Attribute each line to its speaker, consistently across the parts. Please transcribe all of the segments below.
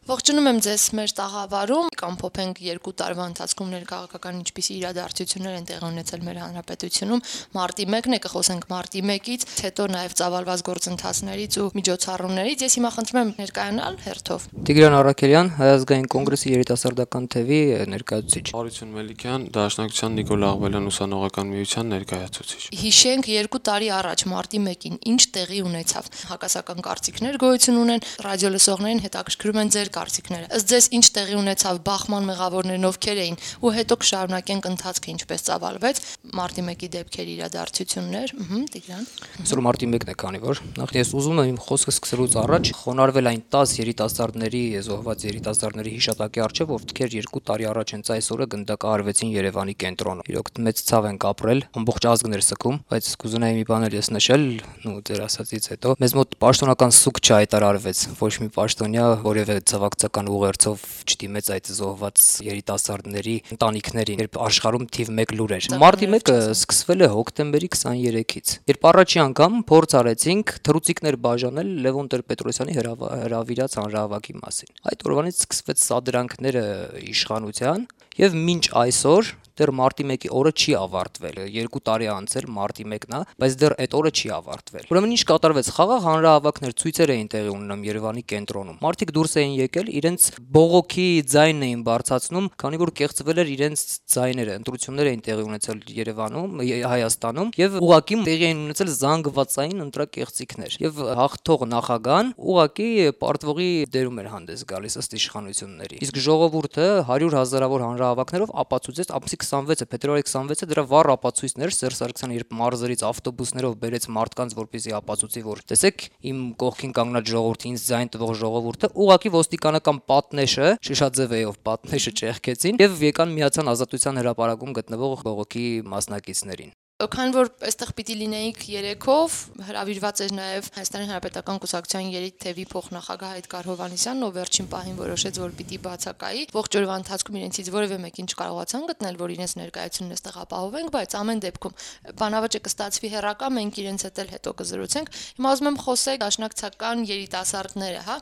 Speaker 1: Ողջունում եմ ձեզ մեր տաղավարում, կամփոփենք 2 տարվա ընթացքում ներքաղաքական ինչպիսի իրադարձություններ են տեղի ունեցել մեր հանրապետությունում։ Մարտի 1-ն է, կխոսենք մարտի 1-ից, հետո նաև ծավալված գործընթացներից ու միջոցառումներից։ Ես հիմա խնդրում եմ ներկայանալ հերթով։
Speaker 2: Տիգրան Առաքելյան, Հայ ազգային կոնգրեսի երիտասարդական թևի ներկայացուցիչ։
Speaker 3: Արություն Մելիքյան, Դաշնակցության Նիկոլ Աղբելյան ուսանողական միության ներկայացուցիչ։
Speaker 1: Հիշենք 2 տարի առաջ մարտի 1-ին ինչ տեղի ունեցավ։ Հակասական կարծիքներ գոյություն ունեն, ռադիոլսողներին հետաքրքրում են ձեր կարծիքները։ Ըստ ձեզ ինչ տեղի ունեցավ բախման մեղավորներն ովքեր էին ու հետո կշարունակենք ընթացքը ինչպես ծավալվեց մարտի 1-ի դեպքերի իրադարձություններ, Տիգրան։
Speaker 2: Այսօր մարտի 1-ն է, քանի որ նախ ես ուզում եմ իմ խոսքը սկսելուց առաջ խոնարհվել այն 10 երիտասարդների, զոհված երիտասարդների հիշատակի առջև, ովքեր 2 տարի առաջ հենց այս օրը գնդակահարվեցին Երևանի կենտրոնում։ Իրոք մեծ ցավ ենք ապրել, ամբողջ ազգն էր սգում, բայց կուզենայի մի բան էլ ես նշել, ձեր ասածից հետո մեզ մոտ պաշտոնական սուկ չհայտարարվեց, ոչ մի պաշտոնյա որևէ ցավակցական ուղերձով չդիմեց այդ զոհված երիտասարդների ընտանիքներին, երբ աշխարհում թիվ 1 լուր էր։ Մարտի 1-ը սկսվել է հոկտեմբերի 23-ից, երբ առաջի անգամ փորձ արեցինք թռուցիկներ բաժանել Լևոն Տեր-Պետրոսյանի հրավիրած հանրահավաքի մասին։ Այդ օրվանից սկսվեց սադրանքները իշխանության եւ մինչ այսօր դեռ մարտի 1-ի օրը չի ավարտվել։ 2 տարի անցել մարտի 1-ն է, բայց դեռ այդ օրը չի ավարտվել։ Ուրեմն ինչ կատարվեց, խաղաղ հանրահավաքներ, ցույցեր էին տեղի ունենում Երևանի կենտրոնում։ Մարդիկ դուրս էին եկել, իրենց բողոքի ձայնն էին բարձրացնում, քանի որ կեղծվել էր իրենց ձայները։ Ընտրություններ էին տեղի ունեցել Երևանում, Հայաստանում եւ ուղղակի տեղի էին ունեցել զանգվածային ընտրակեղծիքներ։ Եվ հաղթող նախագահան ուղղակի պարտվողի դերում էր հանդես գալիս ըստ իշխանությունների։ Իսկ ժողովուրդը 100,000-ավոր հանրահավաքներով ապացուցեց, ամսի 26-ը, փետրվարի 26-ը դրա վառ ապացույցներ Սերժ Սարգսյանը, երբ մարզերից ավտոբուսներով բերեց մարդկանց, որպեսզի ապացուցի, որ տեսեք, իմ կողքին կանգնած ժողովուրդը, ինձ ձայն տվող ժողովուրդը, ուղղակի ոստիկանական պատնեշը, շշաձևեով պատնեշը ճեղքեցին եւ եկան միացան Ազատության հրապարակում գտնվող բողոքի մասնակիցներին։
Speaker 1: Քանի որ այստեղ պիտի լինեիք երեքով, հրավիրված էր նաև Հայաստանի Հանրապետական Կուսակցության երիտթևի փոխնախագահ Էդգար Հովհաննիսյանն, ով վերջին պահին որոշեց, որ պիտի բացակայի։ Ողջ օրվա ընթացքում իրենցից որևէ մեկին չկարողացան գտնել, որ իրենց ներկայությունն այստեղ ապահովենք, բայց ամեն դեպքում բանավաճը կստացվի հեռակա, մենք իրենց հետ էլ հետո կզրուցենք։ Հիմա ուզում եմ խոսել դաշնակցական երիտասարդները, հա,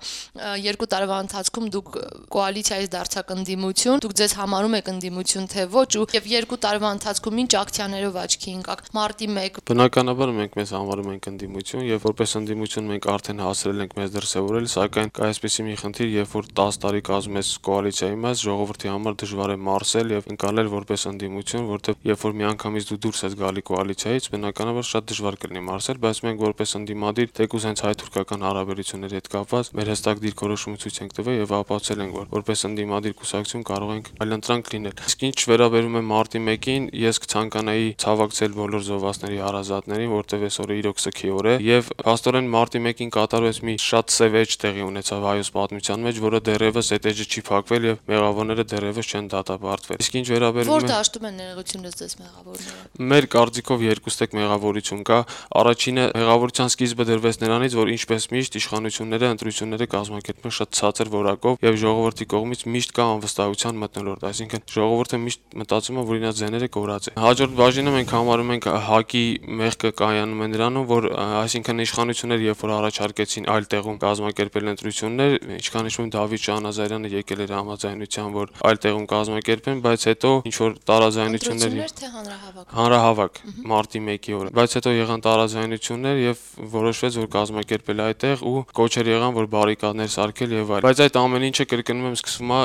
Speaker 1: 2 տարվա ընթացքում դուք կոալիցիայից դարձաք ընդդիմություն, դուք ձեզ համարում եք ընդդիմություն թե ոչ, եւ 2 տարվա ընթացքում ինչ ակցիաներով աչքի մարտի 1
Speaker 3: Բնականաբար մենք մեզ համարում ենք ընդդիմություն եւ որպես ընդդիմություն մենք արդեն հասրել ենք մեզ դրսեւորել, սակայն կա այսպեսի մի խնդիր, երբ որ 10 տարի կազմում ես կոալիցիայի մեջ, ժողովրդի համար դժվար է մարսել եւ ընկալել որպես ընդդիմություն, որտեղ երբ որ միանգամից դու դուրս ես գալի կոալիցիայից, բնականաբար շատ դժվար կլինի մարսել, բայց մենք որպես ընդդիմադիր թեկուզ հենց հայ-թուրքական հարաբերությունների հետ կապված մեր հստակ դիրքորոշումը ցույց ենք տվել եւ ապացուցել ենք, որ որպես ընդդիմադիր կուսակցություն կարող ենք այլընտրանք լինել։ Իսկ ինչ վերաբերում է մարտի 1-ին, ես կցանկանայի ցավակցել բոլոր զոհվածների հարազատներին, որտեղ այսօրը իրոք սգի օր է եւ փաստորեն մարտի 1-ին կատարվեց մի շատ սև էջ տեղի ունեցավ հայոց պատմության մեջ, որը դեռևս այդ էջը չի փակվել եւ մեղավորները դեռևս չեն դատապարտվել։ Իսկ ինչ վերաբերում է
Speaker 1: Որ դաշտում են ներողությունը ձեզ մեղավորները։
Speaker 3: Մեր կարծիքով երկուստեք մեղավորություն կա։ Առաջինը մեղավորության սկիզբը դրվեց նրանից, որ ինչպես միշտ իշխանությունները ընտրությունները կազմակերպում են շատ ցածր որակով եւ ժողովրդի կողմից միշտ կա անվստահության մթնոլորտ, այսինքն ժողովուրդը միշտ մտածում է, որ իրենց ձեները կորած է։ Հաջորդ բաժինը մենք համարում ենք ՀԱԿ-ի մեղքը կայանում է նրանում, որ այսինքն իշխանությունները երբ որ առաջարկեցին այլ տեղում կազմակերպել ընտրություններ, ինչքան հիշում եմ Դավիթ Շահնազարյանը եկել էր համաձայնության, որ այլ տեղում կազմակերպեն, բայց հետո ինչ որ տարաձայնություններ
Speaker 1: թե
Speaker 3: հանրահավաք մարտի 1-ի օրը, բայց հետո եղան տարաձայնություններ եւ որոշվեց, որ կազմակերպել այդտեղ ու կոչեր եղան, որ բարիկադներ սարքել եւ այլ։ Բայց այդ ամեն ինչը կրկնում եմ սկսվում է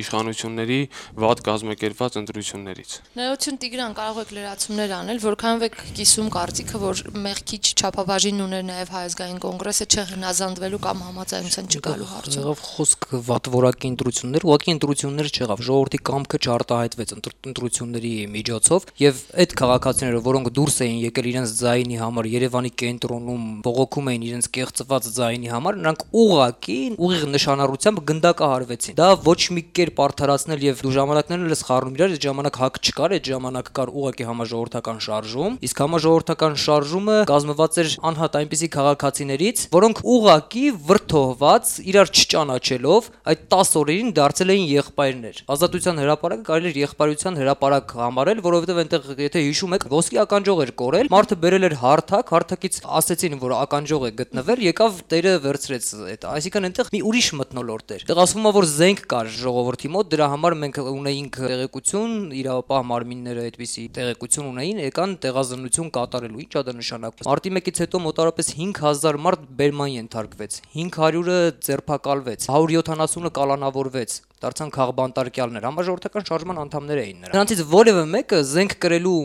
Speaker 3: իշխանությունների վատ կազմակերպված ընտրություններից։
Speaker 1: Ներողություն Տիգրան, կարող եք լրացումներ անել, որքանով եք կիսում կարծիքը, որ մեղքի չափաբաժին ուներ նաև Հայ ազգային կոնգրեսը չհնազանդվելու կամ համաձայնության չգալու հարցում։
Speaker 2: Եղավ խոսք վատ որակի ընտրություններ, ուղղակի ընտրություններ չեղավ, ժողովրդի կամքը չարտահայտվեց ընտրությունների միջոցով եւ այդ քաղաքացիները, որոնք դուրս էին եկել իրենց ձայնի համար Երևանի կենտրոնում, բողոքում էին իրենց կեղծված ձայնի համար, նրանք ուղղակի ուղիղ նշանառությամբ գնդակահարվեցին։ Դա ոչ մի կերպ արդարացնել եւ դու ժամանակներն ես խառնում իրար, այդ ժամանակ հակ չկար, այդ ժամանակ կար ուղղակի համաժողովրդի համաժողովրդական շարժում, իսկ համաժողովրդական շարժումը կազմված էր անհատ այնպիսի քաղաքացիներից, որոնք ուղակի վրդովված, իրար չճանաչելով, այդ 10 օրերին դարձել էին եղբայրներ։ Ազատության հրապարակը կարելի էր եղբայրության հրապարակ համարել, որովհետև այնտեղ, եթե հիշում եք, ոսկի ականջող էր կորել, մարդը բերել էր հարթակ, հարթակից ասեցին, որ ականջող է գտնվել, եկավ տերը վերցրեց այդ, այսինքն այնտեղ մի ուրիշ մթնոլորտ էր։ Այդտեղ ասվում է, որ զենք կար ժողովրդի մոտ, դրա համար մենք ունեինք տեղեկություն, իրավապահ մարմինները այդպիսի տեղեկություն ունեին, եկան տեղազննություն կատարելու։ Ինչ է դա նշանակում։ Մարտի 1-ից հետո մոտավորապես 5000 մարդ բերման ենթարկվեց, 500-ը ձերբակալվեց, 170-ը կալանավորվեց, դարձան քաղբանտարկյալներ, համաժողովրդական շարժման անդամներ էին նրանք։ Նրանցից որևէ մեկը զենք կրելու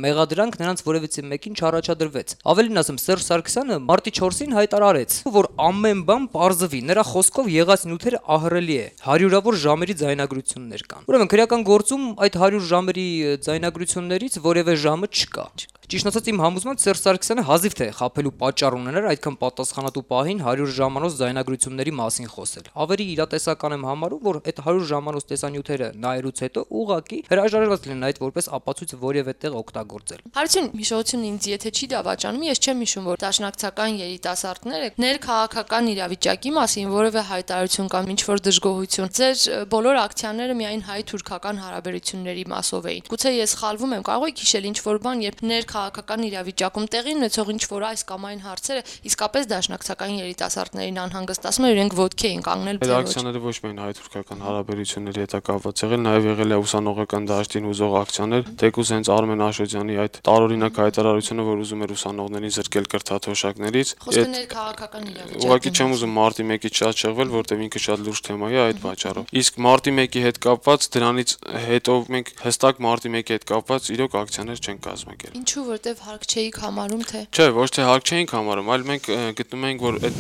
Speaker 2: մեղադրանք նրանց որևիցե մեկին չառաջադրվեց։ Ավելին ասեմ, Սերժ Սարգսյանը մարտի 4-ին հայտարարեց, որ ամեն բան պարզվի, նրա խոսքով եղած նյութերը ահռելի է, հարյուրավոր ժամերի ձայնագրություններ կան։ Ուրեմն քրեական գործում այդ 100 ժամերի ձայնագրություններից որևէ ժամը չկա։ Ճիշտ ասած իմ համոզմամբ Սերժ Սարգսյանը հազիվ թե խաբելու պատճառ ուներ այդքան պատասխանատու պահին 100 ժամանոց ձայնագրությունների մասին խոսել։ Ավելի իրատեսական եմ համարում, որ այդ 100 ժամանոց տեսանյութերը նայելուց հետո ուղղակի հրաժարված լինեն այդ որպես ապացույց որևէ տեղ օգտագործել։
Speaker 1: Հարցին հիշողությունը ինձ եթե չի դավաճանում, ես չեմ հիշում, որ դաշնակցական երիտասարդները ներքաղաքական իրավիճակի մասին որևէ հայտարարություն կամ ինչ-որ դժգոհություն։ Ձեր բոլոր ակցիաները միայն հայ-թուրքական հարաբերությունների մասով էին։ Գուցե ես սխալվում եմ, կարող եք հիշել ինչ-որ բան, երբ քաղաքական իրավիճակում տեղի ունեցող ինչ-որ այս կամ այն հարցերը իսկապես դաշնակցական երիտասարդներին անհանգստացնում էր, իրենք ոտքի էին կանգնել։
Speaker 3: Այդ ակցիաները ոչ միայն հայ-թուրքական հարաբերությունների հետ կապված եղել, նաև եղել է ուսանողական դաշտին ուզող ակցիաներ, թեկուզ հենց Արմեն Աշոտյանի այդ տարօրինակ հայտարարությունը, որ ուզում էր ուսանողներին զրկել կրթաթոշակներից։
Speaker 1: Խոսքը ներքաղաքական իրավիճակի։
Speaker 3: Ուղղակի չեմ ուզում մարտի 1-ից շատ շեղվել, որտեղ ինքը շատ լուրջ թեմա է այդ պատճառով։ Իսկ մարտի 1-ի հետ կապված դրանից հետո մենք հստակ մարտի 1-ի հետ կապված իրոք ակցիաներ չենք կազմակերպել։
Speaker 1: Ինչու, որտեվ հարկ չէիք համարում, թե։
Speaker 3: Չէ, ոչ թե հարկ չէինք համարում, այլ մենք գտնում ենք, որ այդ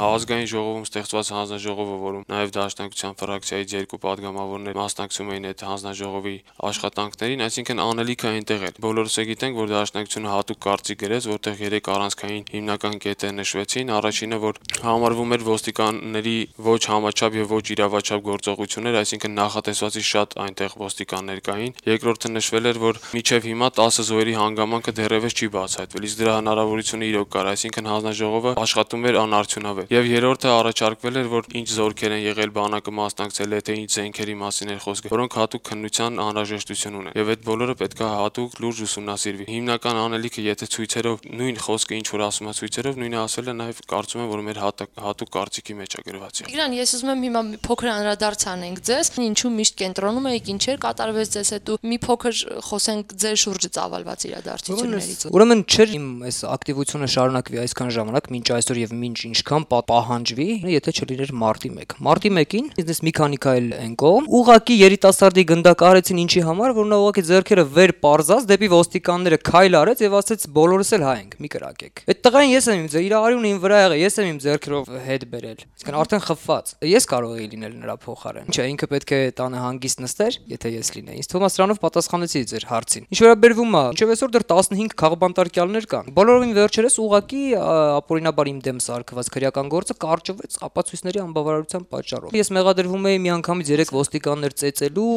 Speaker 3: ազգային ժողովում ստեղծված հանձնաժողովը, որում նաև դաշնակցության ֆրակցիայից 2 падգամավորներ մասնակցում էին այդ հանձնաժողովի աշխատանքներին, այսինքն անելիքը այնտեղ էր։ Բոլորս է գիտենք, որ դաշնակցությունը հատուկ կարծիք գրեց, որտեղ 3 առանցքային հիմնական կետեր նշվեցին։ Առաջինը, որ համարվում էր ոստիկանների ոչ համաչափ եւ ոչ իրավաչափ գործողություններ, այսինքն նախատեսվածից շատ այնտեղ ոստիկաններ կային։ Երկրորդը նշվել էր, որ մինչև հիմա 10 զոհերի հանգամանքը դեռևս չի բացահայտվել, իսկ դրա հնարավորությունը իրոք կար, այսինքն հանձնաժողովը աշխատում էր անարդյունավետ։ Եվ երրորդը առաջարկվել էր, որ ինչ զորքեր են եղել, բանակը մասնակցել է, թե ինչ զենքերի մասին էր խոսքը, որոնք հատուկ քննության անհրաժեշտություն ունեն։ Եվ այդ բոլորը պետք է հատուկ լուրջ ուսումնասիրվի։ Հիմնական անելիքը, եթե ցույցերով նույն խոսքը ինչ որ ասում է ցույցերով, նույնը ասել է նաև կարծում եմ, որ մեր հատուկ կարծիքի մեջ է գրված։
Speaker 1: Տիգրան, ես ուզում եմ հիմա մի փոքր անդրադարձ անենք ձեզ, ինչու միշտ կենտրոնում եք, ինչեր կատարվեց ձեզ հետ ու մի փոքր խոսենք ձեր շուրջը ծավալված իրադարձություններից։
Speaker 2: Ուրեմն չէր իմ այս ակտիվությունը շարունակվի այսքան ժամանակ, մինչ այսօր եւ մինչ ինչքան պահանջվի, եթե չլիներ մարտի 1։ Մարտի 1-ին բիզնես մի քանի քայլ են կողմ, ուղակի երիտասարդի գնդակարեցին ինչի համար, որ նա ուղակի ձեռքերը վեր պարզած դեպի ոստիկանները քայլ արեց եւ ասեց բոլորս էլ հայ ենք, մի կրակեք։ Այդ տղային ես եմ իր արյունը իմ վրա եղել, ես եմ իմ ձեռքերով հետ բերել։ Իսկան արդեն խփված։ Ես կարող էի լինել նրա փոխարեն։ Չէ, ինքը պետք է տանը հանգիստ նստեր, եթե ես լինեի։ Ինձ թվում է սրանով պատասխանեցի ձեր հարցին։ Ինչ վերաբերվում է, ինչեւ այսօր դեռ 15 քաղբանտարկյալներ կան։ Բոլորովին վերջերս ուղակի ապօրինաբար իմ դեմ սարքված քրեական գործը կարճվեց ապացույցների անբավարարության պատճառով։ Ես մեղադրվում էի միանգամից 3 ոստիկաններ ծեծելու,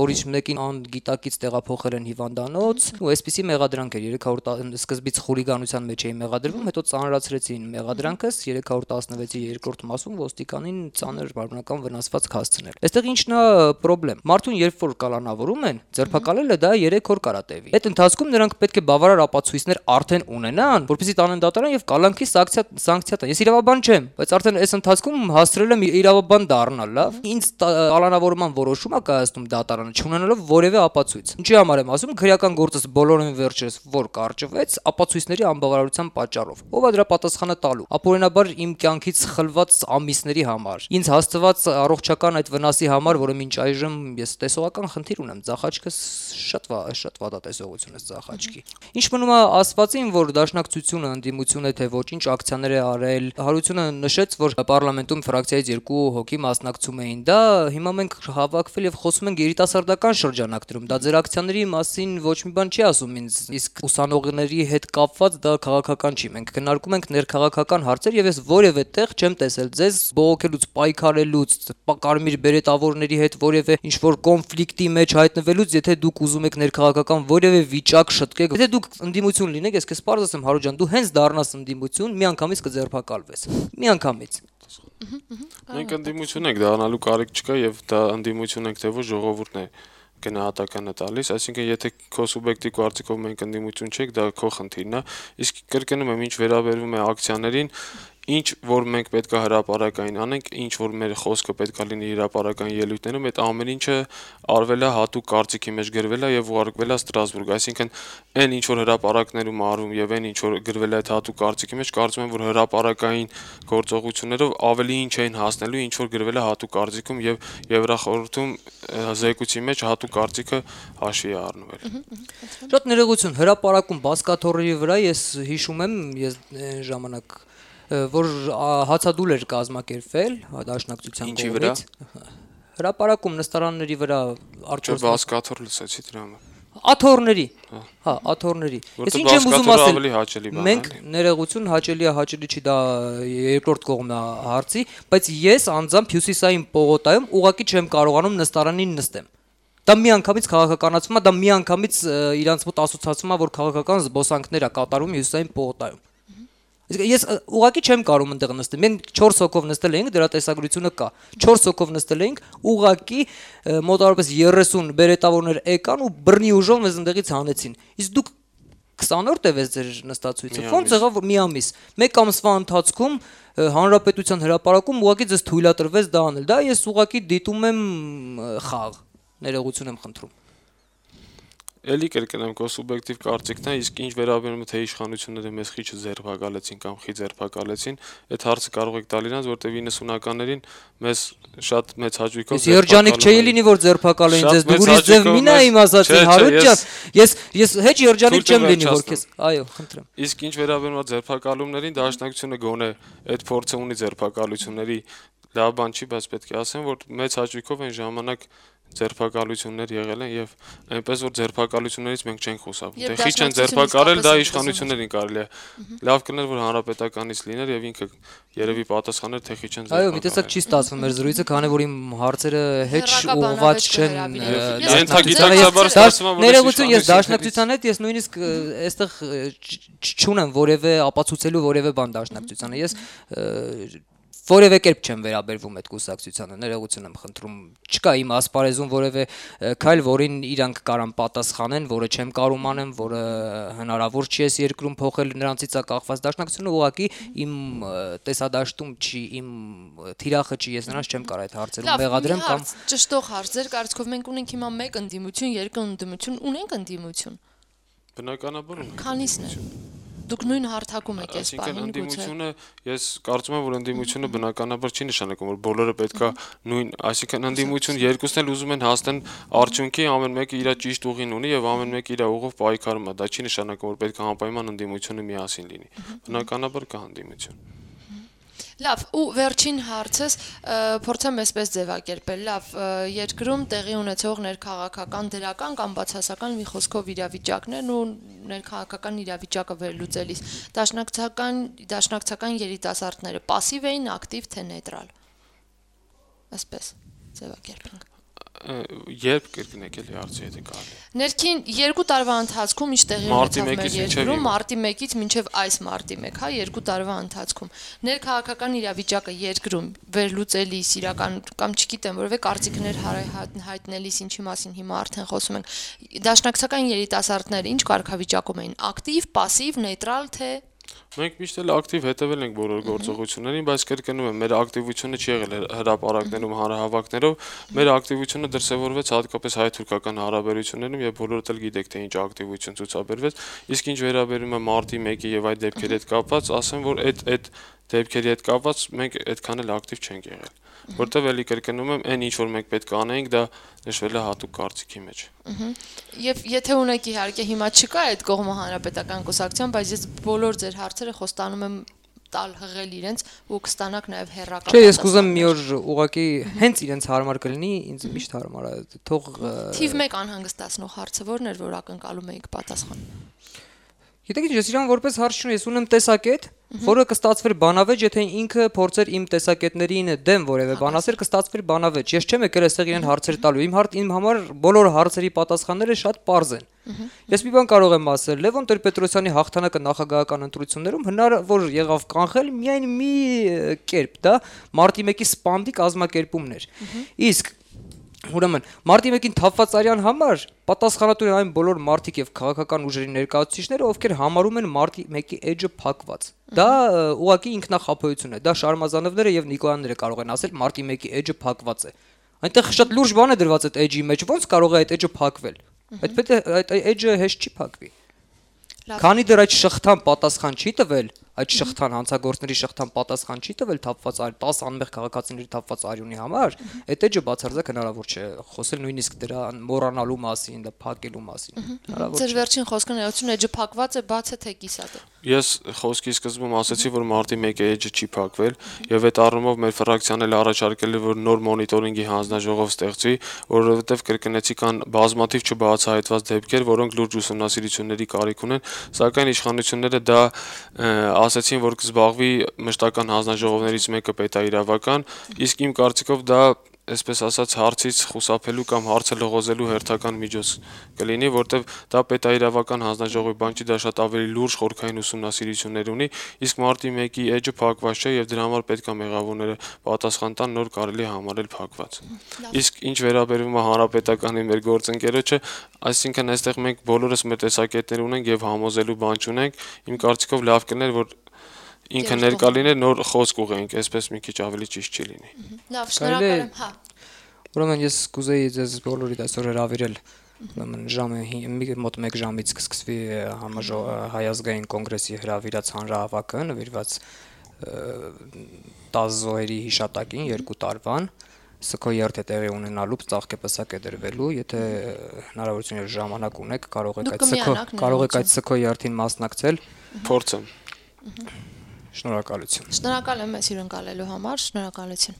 Speaker 2: որից մեկին անգիտակից տեղափոխել են հիվանդանոց, ու այսպիսի մեղադրանք էր 300 սկզբից խուլիգանության մեջ էի մեղադրվում, հետո ծանրացրեցին մեղադրանքս 316-ի երկրորդ մասում ոստիկանին ծանր մարմնական վնասվածք հասցնել։ Այստեղ ինչն է խնդրեմ։ Մարդուն երբ որ կալանավորում են, ձերբակալելը դա 3 օր կարա տևի։ Այդ ընթացքում նրանք պետք է բավարար ապացույցներ արդեն ունենան, որպեսզի տանեն դատարան եւ կալանքի սանկցիա տան։ Ես իրավաբան չեմ, բայց արդեն այս ընթացքում հասցրել եմ իրավաբան դառնալ, լավ։ Ինձ կալանավորման որոշում է կայացնում դատարանը, չունենալով որևէ ապացույց։ Ինչի համար եմ ասում, քրեական գործս բոլորին վերջերս որ կարճվեց ապացույցների անբավարարության պատճառով։ Ով է դրա պատասխանը տալու։ Ապօրինաբար իմ կյանքից խլված ամիսների համար, ինձ հասցված առողջական այդ վնասի համար, որը մինչ այժմ ես տեսողական խնդիր ունեմ, ձախաչքս շատ վատատեսողություն է ձախաչքի։ Ինչ մնում է ասվածին, որ դաշնակցությունը ընդդիմություն է թե ոչինչ ակցիաներ է արել, Հարությունը նշեց, որ պարլամենտում ֆրակցիայից 2 հոգի մասնակցում էին, դա հիմա մենք հավաքվել եւ խոսում ենք երիտասարդական շրջանակներում, դա ձեր ակցիաների մասին ոչ մի բան չի ասում ինձ, իսկ ուսանողների հետ կապված դա քաղաքական չի, մենք քննարկում ենք ներքաղաքական հարցեր եւ ես որևէ տեղ չեմ տեսել ձեզ բողոքելուց, պայքարելուց, կարմիր բերետավորների հետ որևէ ինչ-որ կոնֆլիկտի մեջ հայտնվելուց, եթե դուք ուզում եք ներքաղաքական որևէ վիճակ շտկեք, եթե դուք ընդդիմություն լինեք, ես քեզ պարզ ասեմ, Հարո ջան, դու հենց դառնաս ընդդիմություն, միանգամից կձերբակալվես։ Միանգամից։
Speaker 3: Մենք ընդդիմություն ենք, դառնալու կարիք չկա եւ դա ընդդիմություն ենք, թե ոչ ժողովուրդն է գնահատականը տալիս, այսինքն եթե քո սուբյեկտիվ կարծիքով մենք ընդդիմություն չենք, դա քո խնդիրն է, իսկ կրկնում եմ, ինչ վերաբերվում է ակցիաներին, ինչ որ մենք պետք է հրապարակային անենք, ինչ որ մեր խոսքը պետք է լինի հրապարակային ելույթներում, այդ ամեն ինչը արվել է հատուկ կարծիքի մեջ գրվել է եւ ուղարկվել է Ստրասբուրգ, այսինքն այն ինչ որ հրապարակներում արվում եւ այն ինչ որ գրվել է այդ հատուկ կարծիքի մեջ, կարծում եմ, որ հրապարակային գործողություններով ավելի ինչ էին հասնելու, ինչ որ գրվել է հատուկ կարծիքում եւ Եվրախորհրդում զեկույցի մեջ հատուկ կարծիքը հաշվի է առնվել։
Speaker 2: Շատ ներողություն, հրապարակում բասկաթոռերի վրա ես հիշում եմ, ես ժամանակ որ հացադուլ էր կազմակերպվել դաշնակցության կողմից հրապարակում նստարանների վրա
Speaker 3: Չէ, բասկաթոռ լսեցի դրա համար։
Speaker 2: Աթոռների, հա, աթոռների։ Ես ինչ եմ ուզում ասել, մենք ներողություն հաճելի է, հաճելի չի, դա երկրորդ կողմն է հարցի, բայց ես անձամբ Հյուսիսային պողոտայում ուղղակի չեմ կարողանում նստարանին նստեմ։ Դա միանգամից քաղաքականացում է, դա միանգամից իրանց մոտ ասոցացում է, որ քաղաքական զբոսանքներ է կատարում Հյուսիսային պողոտայում։ Ես ուղղակի չեմ կարող այնտեղ նստել։ Մենք 4 հոգով նստել էինք, դրա տեսագրությունը կա։ 4 հոգով նստել էինք, ուղղակի մոտավորապես 30 բերետավորներ եկան ու բռնի ուժով մեզ այնտեղից հանեցին։ Իսկ դուք 20-րդ է վեց ձեր նստածույցը։ Ոնց եղավ որ մի ամիս։ Մեկ ամսվա ընթացքում հանրապետության հրապարակում ուղղակի ձեզ թույլատրվեց դա անել։ Դա ես ուղղակի դիտում եմ խաղ։ Ներողություն եմ խնդրում։
Speaker 3: Էլի կրկնեմ, քո սուբյեկտիվ կարծիքն է, իսկ ինչ վերաբերում է թե իշխանությունները մեզ խիչը ձերբակալեցին կամ խի ձերբակալեցին, այդ հարցը կարող եք տալ իրանց, որտեղ 90-ականներին մեզ շատ մեծ հաճույքով
Speaker 2: երջանիկ չէի լինի, որ ձերբակալեին ձեզ, դու ուրիշ ձև մինա իմ ասացին, Հարոտ ջան, ես հեչ երջանիկ չեմ լինի, որ քեզ, այո, խնդրեմ։
Speaker 3: Իսկ ինչ վերաբերում է ձերբակալումներին, դաշնակցությունը գոնե այդ փորձը ունի ձերբակալությունների լավ բան չի, բայց պետք է ասեմ, որ մեծ հաճույքով այն ժամանակ ձերբակալություններ եղել են եւ այնպես որ ձերբակալություններից մենք չենք խուսափում։ Թե խիչ են ձերբակալել, դա իշխանություններին կարելի է։ Լավ կներ որ հանրապետականից լիներ եւ ինքը երևի պատասխաներ թե խիչ են ձերբակալել։
Speaker 2: Այո, մի տեսակ չի ստացվում մեր զրույցը, քանի որ իմ հարցերը հեչ ուղղված չեն։
Speaker 3: Ենթագիտակցաբար ստացվում է որ
Speaker 2: ներողություն, ես դաշնակցության հետ ես նույնիսկ այստեղ չունեմ որևէ ապացուցելու որևէ բան դաշնակցությանը։ Ես որևէ կերպ չեմ վերաբերվում այդ կուսակցությանը, ներողություն եմ խնդրում, չկա իմ ասպարեզում որևէ քայլ, որին իրանք կարան պատասխանեն, որը չեմ կարող անեմ, որը հնարավոր չի այս երկրում փոխել նրանցից է կախված դաշնակցությունը ուղղակի իմ տեսադաշտում չի, իմ թիրախը չի, ես նրանց չեմ կարող այդ հարցերում մեղադրեմ կամ
Speaker 1: ճշտող հարց, ձեր կարծիքով մենք ունենք հիմա մեկ ընդդիմություն, երկու ընդդիմություն, ունենք ընդդիմություն։
Speaker 3: Բնականաբար ունենք։
Speaker 1: Քանիսն է։ Դուք նույն հարթակում եք այս բանին գուցե։
Speaker 3: Ընդդիմությունը, ես կարծում եմ, որ ընդդիմությունը բնականաբար չի նշանակում, որ բոլորը պետքա նույն, այսինքն ընդդիմություն երկուսն էլ ուզում են հասնեն արդյունքի, ամեն մեկը իր ճիշտ ուղին ունի եւ ամեն մեկը իր ուղով պայքարում է։ Դա չի նշանակում, որ պետք է անպայման ընդդիմությունը միասին լինի։ Բնականաբար կա ընդդիմություն։
Speaker 1: Լավ, ու վերջին հարցս փորձեմ այսպես ձևակերպել։ Լավ, երկրում տեղի ունեցող ներքաղաքական դրական կամ բացասական մի խոսքով իրավիճակներն ու ներքաղաքական իրավիճակը վերլուծելիս դաշնակցական երիտասարդները пассив էին, ակտիվ թե նեյտրալ։ Այսպես ձևակերպենք։
Speaker 3: Երբ կրկնեք էլի հարցը եթե կարելի։
Speaker 1: Ներքին 2 տարվա ընթացքում ինչ տեղի ունեցավ մեր երկրում մարտի 1-ից մինչև այս մարտի 1, հա, 2 տարվա ընթացքում ներքաղաքական իրավիճակը երկրում վերլուծելիս իրական կամ չգիտեմ որևէ կարծիքներ հայտնելիս ինչի մասին հիմա արդեն խոսում ենք դաշնակցական երիտասարդները ինչ կարգավիճակում էին ակտիվ, пассив, նեյտրալ թե
Speaker 3: Մենք միշտ էլ ակտիվ հետևել ենք բոլոր գործողություններին, բայց կրկնում եմ, մեր ակտիվությունը չի եղել հրապարակներում, հանրահավաքներով, մեր ակտիվությունը դրսևորվեց հատկապես հայ-թուրքական հարաբերություններում եւ բոլորդ էլ գիտեք թե ինչ ակտիվություն ցուցաբերվեց, իսկ ինչ վերաբերում է մարտի 1-ի եւ այդ դեպքերի հետ կապված, ասեմ, որ այդ դեպքերի հետ կապված մենք այդքան էլ ակտիվ չենք եղել, որտեղ էլի կրկնում եմ, այն ինչ որ մենք պետք է անենք, դա նշվել է հատուկ կարծիքի մեջ։
Speaker 1: Եվ եթե ունեք իհարկե հիմա չկա այդ կողմը հանրապետական կուսակցության, բայց ես բոլոր ձեր հարցերը խոստանում եմ տալ հղել իրենց ու կստանաք նաև հերրական։
Speaker 2: Չէ, ես կուզեմ մի օր ուղղակի հենց իրենց հարմար կլինի, ինձ միշտ հարմար է, թող
Speaker 1: Թիվ 1 անհանգստացնող հարցը ո՞րն էր, որ ակնկալում էիք պատասխան։
Speaker 2: Գիտեք ինչ, ես իրան որպես հարց չունեմ, ես ունեմ տեսակետ, որը կստացվեր բանավեճ, եթե ինքը փորձեր իմ տեսակետներին դեմ որևէ բան ասել, կստացվեր բանավեճ։ Ես չեմ եկել այստեղ իրեն հարցեր տալու։ Իմ համար բոլոր հարցերի պատասխանները շատ պարզ են։ Ես մի բան կարող եմ ասել, Լևոն Տեր-Պետրոսյանի հաղթանակը նախագահական ընտրություններում հնարավոր եղավ կանխել միայն մի կերպ, դա մարտի 1-ի սպանդի կազմակերպումն էր։ Իսկ ուրեմն մարտի 1-ին թափված արյան համար պատասխանատու են այն բոլոր մարդիկ եւ քաղաքական ուժերի ներկայացուցիչները, ովքեր համարում են մարտի 1-ի էջը փակված։ Դա ուղղակի ինքնախապոյություն է։ Դա Շարմազանովները եւ Նիկոյանները կարող են ասել մարտի 1-ի էջը փակված է։ Այնտեղ շատ լուրջ բան է դրված այդ էջի մեջ, ոնց կարող է այդ էջը փակվել։ Այդ էջը հեշտ չի փակվի։ Քանի դեռ այդ շղթան պատասխան չի տվել, այդ շղթան հանցագործների շղթան պատասխան չի տվել թափված 10 անմեղ քաղաքացիների թափված արյունի համար, այդ էջը բացարձակ հնարավոր չէ խոսել նույնիսկ դրա մոռանալու մասին, դա փակելու մասին։
Speaker 1: Ձեր վերջին խոսքը ներողություն, էջը փակված է, բաց է թե կիսատ է։
Speaker 3: Ես խոսքի սկզբում ասացի, որ մարտի 1-ի էջը չի փակվել, եւ այդ առումով մեր ֆրակցիան էլ առաջարկել է, որ նոր մոնիտորինգի հանձնաժողով ստեղծվի, որովհետեւ կրկնեցի կան բազմաթիվ չբացահայտված դեպքեր, որոնք լուրջ ուսումնասիրությունների կարիք ունեն, սակայն իշխանությունները դա ասացին, որ կզբաղվի մշտական հանձնաժողովներից մեկը պետաիրավական, իսկ իմ կարծիքով դա այսպես ասած հարցից խուսափելու կամ հարցը լողոզելու հերթական միջոց կլինի, որտեվ դա պետաիրավական հանձնաժողովի բան չի, դա շատ ավելի լուրջ խորքային ուսումնասիրություններ ունի, իսկ մարտի 1-ի էջը փակված չէ եւ դրա համար պետք է մեղավորները պատասխան տան, նոր կարելի համարել փակված։ Իսկ ինչ վերաբերում է հանրապետականի մեր գործընկերոջը, այսինքն այստեղ մենք բոլորս մեր տեսակետներ ունենք եւ համոզելու բան չունենք, իմ կարծիքով լավ կներ, որ ինքը ներկա լիներ, նոր խոսք ուղենք, այսպես մի քիչ ավելի ճիշտ չի լինի։
Speaker 1: Լավ, շնորհակալ եմ, հա։
Speaker 2: Ուրեմն ես կուզեի ձեզ բոլորիդ այսօր հրավիրել, ուրեմն մոտ 1 ժամից կսկսվի հայազգային կոնգրեսի հրավիրած հանրահավաքը, նվիրված 10 զոհերի հիշատակին 2 տարվան, ՍՔ-երթ է տեղի ունենալու, ծաղկեպսակ է դրվելու, եթե հնարավորություն եւ ժամանակ ունեք, կարող եք այդ ՍՔ-երթին մասնակցել։
Speaker 3: Փորձեմ։
Speaker 2: Շնորհակալություն։
Speaker 1: Շնորհակալ եմ մեզ հյուրընկալելու համար, շնորհակալություն։